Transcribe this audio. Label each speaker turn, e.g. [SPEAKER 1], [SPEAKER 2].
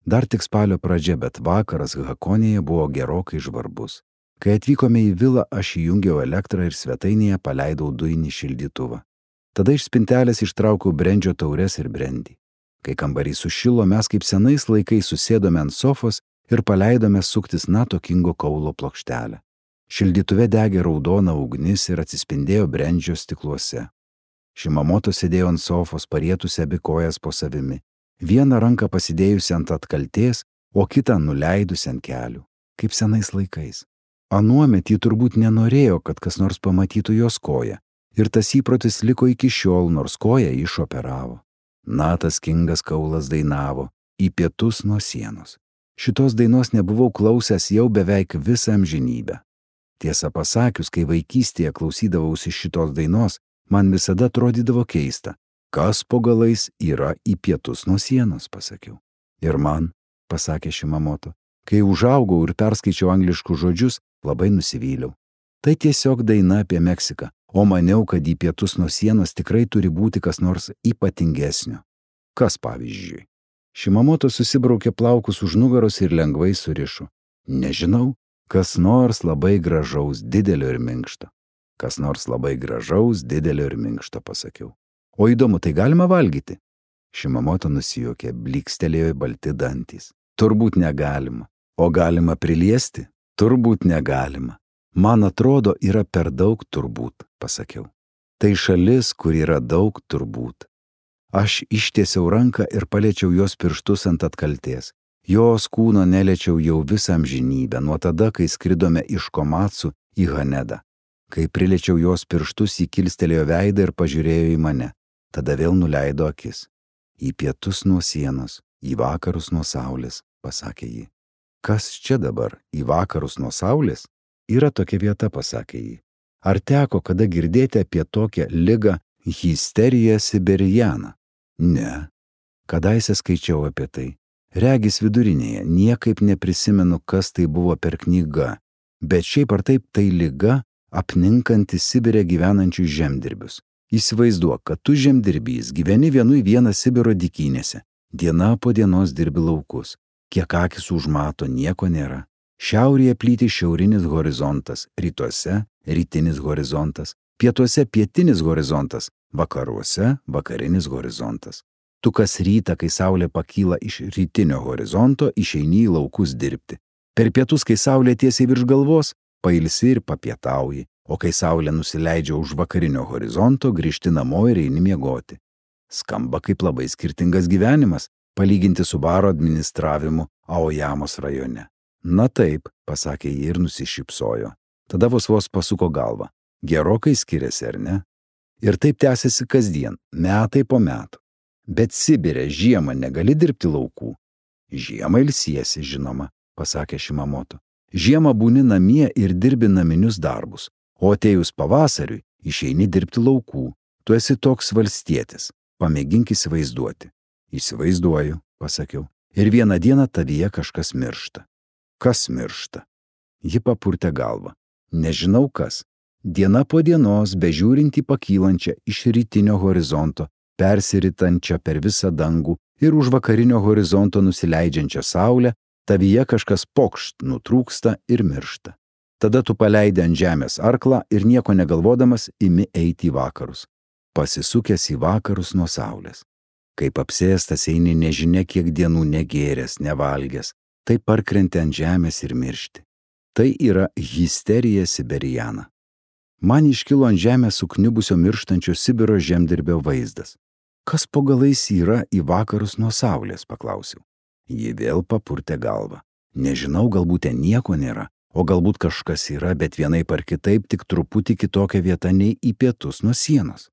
[SPEAKER 1] Dar tik spalio pradžia, bet vakaras Hakonėje buvo gerokai žvarbus. Kai atvykome į vilą, aš įjungiau elektrą ir svetainėje paleidau dujinį šildytuvą. Tada iš spintelės ištraukiau brendžio taures ir brendį. Kai kambarys sušilo, mes kaip senais laikais susėdome ant sofos ir paleidome suktis Nato Kingo kaulo plokštelę. Šildytuve degė raudona ugnis ir atsispindėjo brendžio stikluose. Šimamoto sėdėjo ant sofos, parietusi abi kojas po savimi. Vieną ranką pasidėjusi ant atkaltės, o kitą nuleidusi ant kelių, kaip senais laikais. Anuomet ji turbūt nenorėjo, kad kas nors pamatytų jos koją, ir tas įprotis liko iki šiol, nors koją išoperavo. Natas Kingas kaulas dainavo Į pietus nuo sienos. Šitos dainos nebuvau klausęs jau beveik visą amžinybę. Tiesą pasakius, kai vaikystėje klausydavausi šitos dainos, man visada atrodydavo keista. Kas po galais yra į pietus nuo sienos, pasakiau. Ir man, pasakė Šimamoto, kai užaugau ir perskaičiau angliškus žodžius, labai nusivyliau. Tai tiesiog daina apie Meksiką, o maniau, kad į pietus nuo sienos tikrai turi būti kas nors ypatingesnio. Kas pavyzdžiui? Šimamoto susibraukė plaukus už nugaros ir lengvai surišo. Nežinau, kas nors labai gražaus, didelio ir minkšto. Kas nors labai gražaus, didelio ir minkšto, pasakiau. O įdomu, tai galima valgyti? Šimamoto nusijuokė, blykstelėjo balti dantys. Turbūt negalima. O galima priliesti? Turbūt negalima. Man atrodo, yra per daug turbūt, pasakiau. Tai šalis, kur yra daug turbūt. Aš ištiesiau ranką ir paliečiau jos pirštus ant atkaltės. Jos kūno neliečiau jau visą amžinybę, nuo tada, kai skridome iš Komatsu į Hanedą. Kai priliečiau jos pirštus, ji kilstelėjo veidą ir pažiūrėjo į mane. Tada vėl nuleido akis. Į pietus nuo sienos, į vakarus nuo saulės, pasakė ji. Kas čia dabar, į vakarus nuo saulės? Yra tokia vieta, pasakė ji. Ar teko kada girdėti apie tokią ligą histerija siberiana? Ne. Kadaise skaičiau apie tai. Regis vidurinėje, niekaip neprisimenu, kas tai buvo per knyga, bet šiaip ar taip tai liga apninkanti Sibire gyvenančius žemdirbius. Įsivaizduok, kad tu žemdirbys gyveni vienu į vieną Sibiro dykynėse. Diena po dienos dirbi laukus. Kiek akis užmato, nieko nėra. Šiaurėje plyti šiaurinis horizontas, rytuose rytinis horizontas, pietuose pietinis horizontas, vakaruose vakarinis horizontas. Tu kas rytą, kai saulė pakyla iš rytinio horizonto, išeini į laukus dirbti. Per pietus, kai saulė tiesiai virš galvos, pailsi ir papietauji. O kai saulė nusileidžia už vakarinio horizonto, grįžti namo ir eini miegoti. Skamba kaip labai skirtingas gyvenimas, palyginti su baro administravimu Aojamos rajone. Na taip, pasakė ji ir nusišypsojo. Tada vos pasuko galvą. Gerokai skiriasi, ar ne? Ir taip tęsiasi kasdien, metai po metų. Bet Sibire žiemą negali dirbti laukų. Žiemą ilsiesi, žinoma, pasakė Šimamoto. Žiemą būni namie ir dirbi naminius darbus. O atėjus pavasariui išeini dirbti laukų. Tu esi toks valstietis. Pamėgink įsivaizduoti. Įsivaizduoju, pasakiau. Ir vieną dieną tavyje kažkas miršta. Kas miršta? Ji papurtė galvą. Nežinau kas. Diena po dienos, bežiūrint į pakylančią iš rytinio horizonto, persiritančią per visą dangų ir už vakarinio horizonto nusileidžiančią saulę, tavyje kažkas pokšt nutrūksta ir miršta. Tada tu paleidi ant žemės arklą ir nieko negalvodamas imi eiti į vakarus. Pasisukęs į vakarus nuo saulės. Kaip apsėstas eini nežinia kiek dienų negėręs, nevalgęs, tai parkrenti ant žemės ir miršti. Tai yra histerija siberiana. Man iškilo ant žemės sukniubusio mirštančio Sibiro žemdirbio vaizdas. Kas po galais yra į vakarus nuo saulės, paklausiau. Ji vėl papurtė galvą. Nežinau, galbūt ten nieko nėra. O galbūt kažkas yra, bet vienaip ar kitaip tik truputį kitokia vieta nei į pietus nuo sienos.